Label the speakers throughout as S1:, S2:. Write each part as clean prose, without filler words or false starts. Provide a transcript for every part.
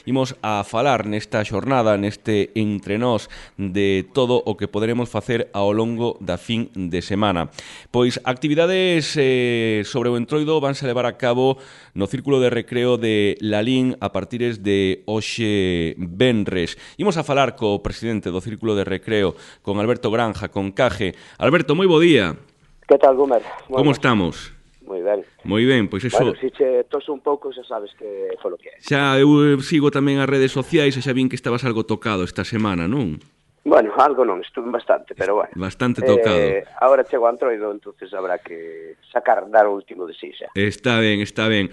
S1: imos a falar nesta xornada, neste entre nós, de todo o que poderemos facer ao longo da fin de semana. Pois actividades sobre o Entroido vanse levar a cabo no Círculo de Recreo de Lalín a partires de hoxe venres. Imos a falar co presidente do Círculo de Recreo, con Alberto Granja, con Caje. Alberto, moi bo día.
S2: Que tal, Gómez?
S1: Como estamos?
S2: Moi ben.
S1: Moi ben, pois eso...
S2: Bueno, se che toso un pouco, xa sabes que foi o que é.
S1: Xa eu sigo tamén as redes sociais e xa vin que estabas algo tocado esta semana, non?
S2: Bueno, algo non, estuve bastante, pero bueno.
S1: Bastante tocado.
S2: Agora chego a Entroido, entonces habrá que dar o último de si xa.
S1: Está ben, está ben.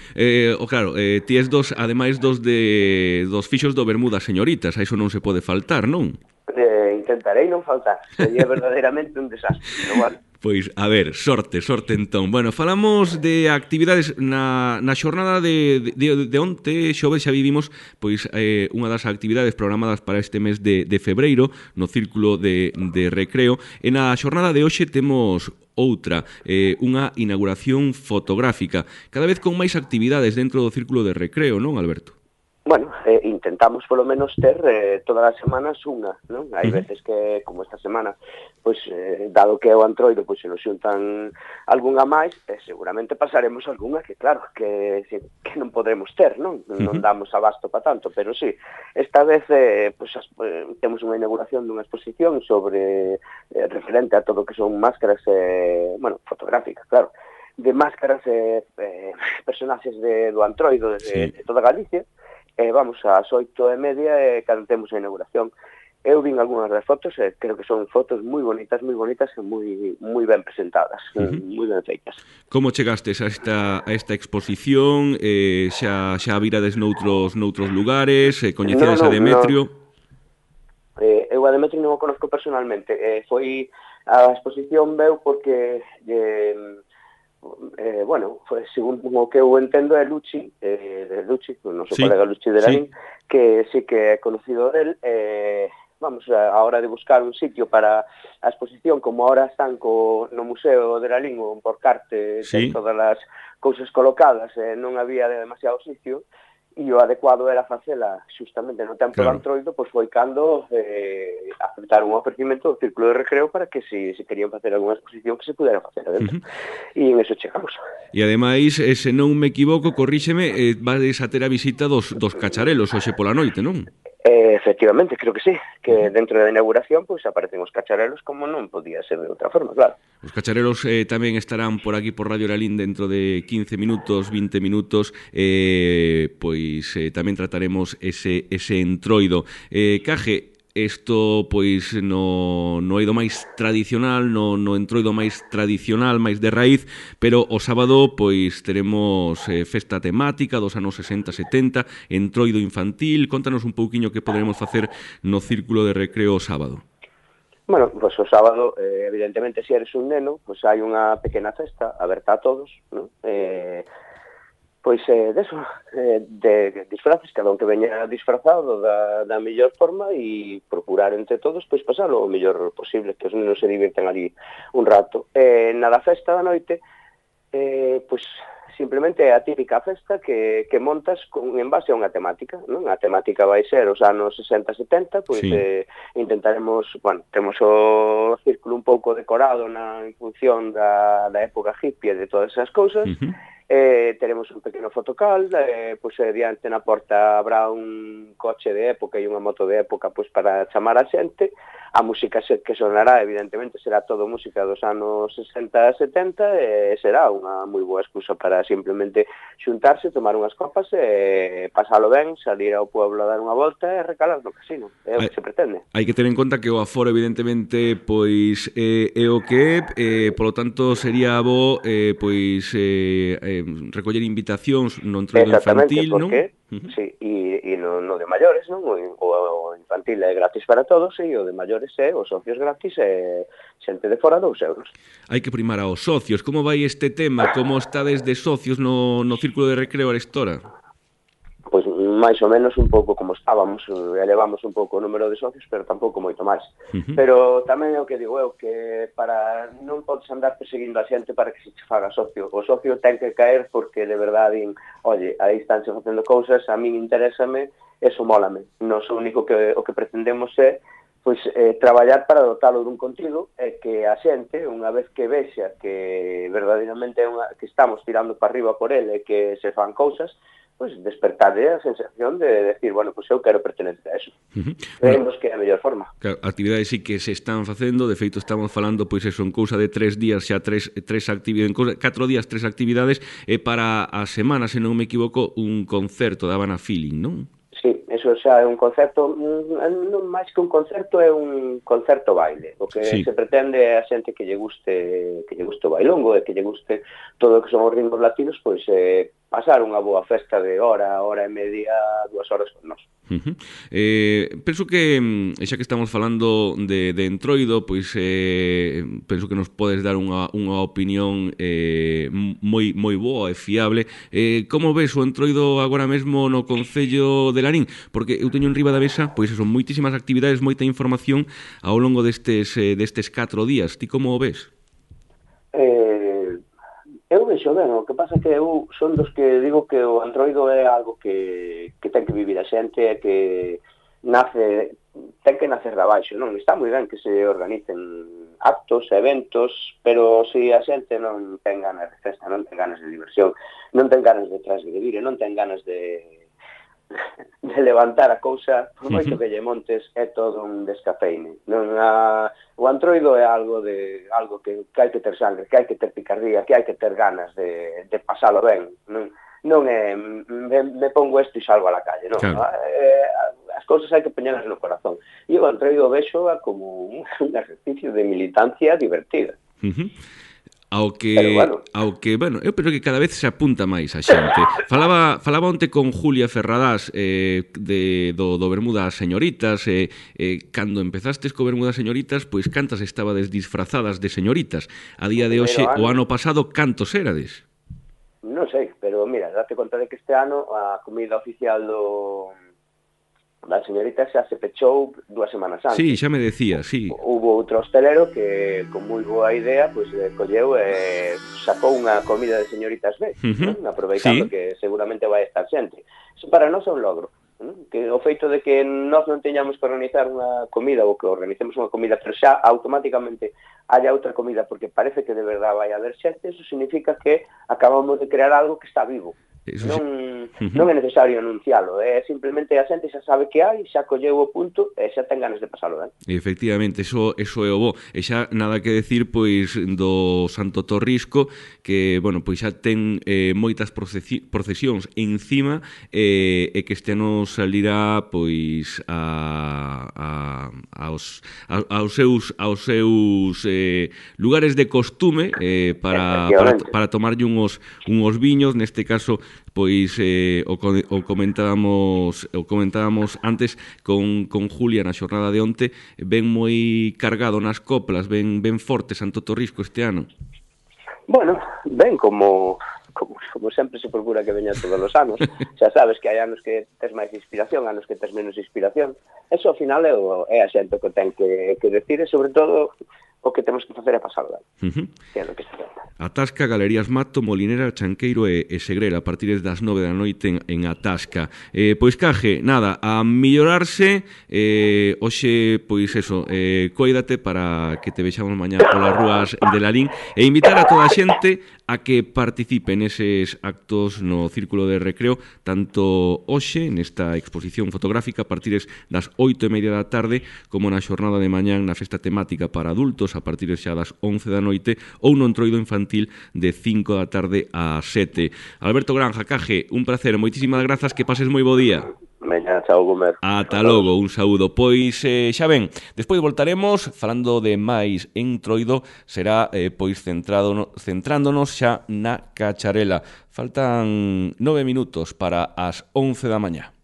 S1: Claro, ti es ademais dos fixos do Bermuda señoritas, a iso non se pode faltar, non?
S2: Intentarei non faltar, sería verdadeiramente un desastre, pero bueno.
S1: Pois, a ver, sorte entón. Bueno, falamos de actividades na xornada de onte, xoves, xa vivimos pois unha das actividades programadas para este mes de febreiro no Círculo de Recreo, e na xornada de hoxe temos outra, unha inauguración fotográfica, cada vez con máis actividades dentro do Círculo de Recreo, non, Alberto?
S2: Bueno, intentamos polo menos ter todas as semanas unha, non? Hai veces que, como esta semana, pois, dado que é o Entroido, pois se nos xuntan algunha máis, seguramente pasaremos algunha que, claro, que non podremos ter, non? Non damos abasto para tanto, pero sí, esta vez pois, temos unha inauguración dunha exposición sobre referente a todo o que son máscaras, bueno, fotográficas, claro, de máscaras personaxes do Entroido de toda Galicia. Vamos ás 8:30 cando temos a inauguración. Eu vin algunhas das fotos, creo que son fotos moi bonitas e moi ben presentadas, moi ben feitas.
S1: Como chegastes a esta exposición? Xa virades noutros lugares? Coñecedes a Demetrio?
S2: Eu a Demetrio non o conozco personalmente. Foi a exposición veu porque... bueno, segundo o que eu entendo é Luchi, o noso colega Luchi de Lalín, que sí que é conocido del. Vamos a hora de buscar un sitio para a exposición, como ahora están no Museo de Lalín, o por carte, todas as cousas colocadas, non había demasiado sitio, e o adecuado era facela xustamente no tempo do Entroido, pois foi cando aceptaron un ofrecimento do Círculo de Recreo para que se querían facer algunha exposición que se pudera facer adentro. E en eso chegamos.
S1: E ademais, se non me equivoco, corríxeme, vades a ter a visita dos cacharelos hoxe pola noite, non?
S2: Efectivamente, creo que sí, que dentro da inauguración pois aparecen os cacharelos como non podía ser de outra forma, claro.
S1: Os cacharelos tamén estarán por aquí por Radio Lalín dentro de 15 minutos, 20 minutos, pois tamén trataremos ese Entroido. Caje, isto pois no eido máis tradicional, no Entroido máis tradicional, máis de raíz, pero o sábado pois teremos festa temática dos anos 60-70, Entroido infantil. Contanos un pouquiño que poderemos facer no Círculo de Recreo o sábado.
S2: Bueno, pois o sábado, evidentemente, se eres un neno, pois hai unha pequena festa aberta a todos, non? Pois deso, de disfraces, cada un que veña disfrazado da mellor forma e procurar entre todos pois pasalo o mellor posible, que os nenos se divirten ali un rato. Na da festa da noite, pois simplemente é a típica festa que montas en base a unha temática, non? A temática vai ser os anos 60-70, pois intentaremos, bueno, temos o círculo un pouco decorado en función da época hippie e de todas esas cousas. Teremos un pequeno fotocal, pois diante na porta habrá un coche de época e unha moto de época pois para chamar a xente. A música que sonará, evidentemente, será todo música dos anos 60-70 e será unha moi boa excusa para simplemente xuntarse, tomar unhas copas e pasalo ben, salir ao pueblo a dar unha volta e recalar no casino. É o que se pretende.
S1: Hai que ter en conta que o aforo, evidentemente, pois é o que é, polo tanto, sería bo pois recoller invitacións no Entroido infantil, non?
S2: Sí, e no de maiores, non? O infantil é gratis para todos e o de maiores é os socios gratis e xente de fora 2 euros.
S1: Hai que primar aos socios. Como vai este tema? Como está desde socios no Círculo de Recreo arestora?
S2: Pois máis ou menos un pouco como estábamos, elevamos un pouco o número de socios, pero tampouco moito máis. Pero tamén é o que digo eu, que para non podes andar perseguindo a xente para que se che faga socio. O socio ten que caer porque de verdade, oye, aí estánse facendo cousas, a min interésame, eso mólame. Nos o único que o que pretendemos é pois traballar para dotalo dun contido e que a xente, unha vez que vexa que verdadeiramente que estamos tirando para arriba por ele e que se fan cousas, pois despertarle a sensación de decir, bueno, pois eu quero pertenecer a eso. Creemos que é a mellor forma.
S1: Claro, actividades sí que se están facendo, de feito estamos falando, pois eso, en cousa de 3 días xa tres actividades, en 4 días 3 actividades, e para a semana, se non me equivoco, un concerto da Habana Feeling, non?
S2: Sí, eso xa é un concerto, non máis que un concerto, é un concerto baile. O que se pretende é a xente que lle guste o bailongo e que lle guste todo o que son os ritmos latinos, pois pasar unha boa festa de hora e media, 2 horas con nós.
S1: Penso que, xa que estamos falando de Entroido, pois penso que nos podes dar unha opinión moi boa e fiable. Como ves o Entroido agora mesmo no Concello de Lalín? Porque eu teño en riba da mesa, pois son moitísimas actividades, moita información ao longo destes 4 días. Ti como o ves?
S2: Eu vexo ben, o que pasa é que eu son dos que digo que o Entroido é algo que ten que vivir a xente e que ten que nacer de abaixo, non? Está moi ben que se organicen actos, eventos, pero se a xente non ten ganas de festa, non ten ganas de diversión, non ten ganas de transgredir, non ten ganas de levantar a cousa, por moito que lle montes, é todo un descafeine. O Entroido é algo que hai que ter sangre, que hai que ter picardía, que hai que ter ganas de pasalo ben. Non é me pongo isto e salgo a la calle, non. Claro. As cousas hai que poñelas no corazón. E o Entroido vexo como un ejercicio de militancia divertida.
S1: Ao que, bueno, eu penso que cada vez se apunta máis a xente. Falaba onte con Julia Ferradás do Bermudas Señoritas, cando empezastes co Bermudas Señoritas, pois cantas estabades disfrazadas de señoritas. A día de hoxe, o ano pasado, cantos erades?
S2: Non sei, pero mira, date conta de que este ano a comida oficial da señorita xa se pechou 2 semanas antes.
S1: Sí, xa me decía, sí.
S2: Hubo outro hostelero que, con moi boa idea, pois colleu e sacou unha comida de señoritas B, aproveitando que seguramente vai estar xente. Iso para nós é un logro. Que o feito de que nós non teñamos que organizar unha comida ou que organicemos unha comida, pero xa automáticamente haya outra comida porque parece que de verdade vai haber xente, eso significa que acabamos de crear algo que está vivo. Non é necesario anuncialo, é simplemente a xente xa sabe que hai, xa colleu o punto e xa ten ganas de pasalo ben.
S1: Efectivamente, eso é o bo. E xa nada que decir pois do Santo Torrisco, que, bueno, pois xa ten moitas procesións encima e que este ano salirá pois aos seus lugares de costume para tomarlle unhos viños, neste caso pois o comentábamos antes con Julia na xornada de onte, ven moi cargado nas coplas, ven forte Santo Torrisco este ano.
S2: Bueno, ven como sempre se procura que veña todos os anos. Xa sabes que hai anos que tes máis inspiración, anos que tes menos inspiración. Eso, ao final, é a xente que ten que decir, e sobre todo o que temos que facer é pasar ben. Que é o que se trata.
S1: Atasca, Galerías Mato, Molinera, Chanqueiro e Segrera a partir das 9 da noite en Atasca. Pois, Caje, nada, a millorarse, hoxe, pois eso, coídate para que te vexamos mañá polas rúas de Lalín e invitar a toda a xente a que participe neses actos no Círculo de Recreo, tanto hoxe, nesta exposición fotográfica a partir das 8:30 da tarde, como na xornada de mañán na festa temática para adultos a partir xa das 11 da noite, ou no Entroido infantil de 5 da tarde a 7. Alberto Granja, Caje, un placer, moitísimas grazas, que pases moi bo día.
S2: Veña, chao, Gómez.
S1: Ata logo, un saúdo. Pois xa ven, despois voltaremos falando de máis Entroido, será pois centrándonos xa na cacharela. Faltan 9 minutos para as 11 da mañá.